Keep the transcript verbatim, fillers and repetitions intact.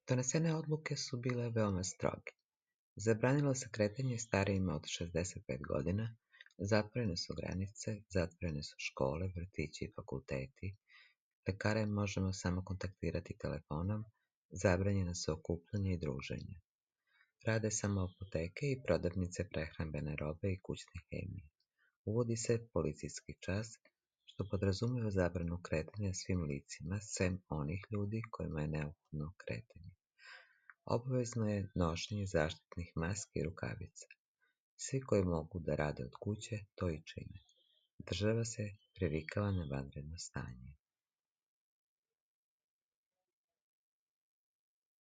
Donesene odluke su bile veoma stroge. Zabranilo se kretanje starijima od šezdeset pet godina, zatvorene su granice, zatvorene su škole, vrtići i fakulteti, lekare možemo samo kontaktirati telefonom, zabranjena su okupljanja i druženja. Rade samo apoteke i prodavnice prehrambene robe i kućne hemije. Uvodi se policijski čas, što podrazumeva zabranu kretanja svim licima, sem onih ljudi kojima je neophodno kretanje. Obavezno je nošenje zaštitnih maski i rukavica. Svi koji mogu da rade od kuće, to i čine. Država se privikava na vanredno stanje.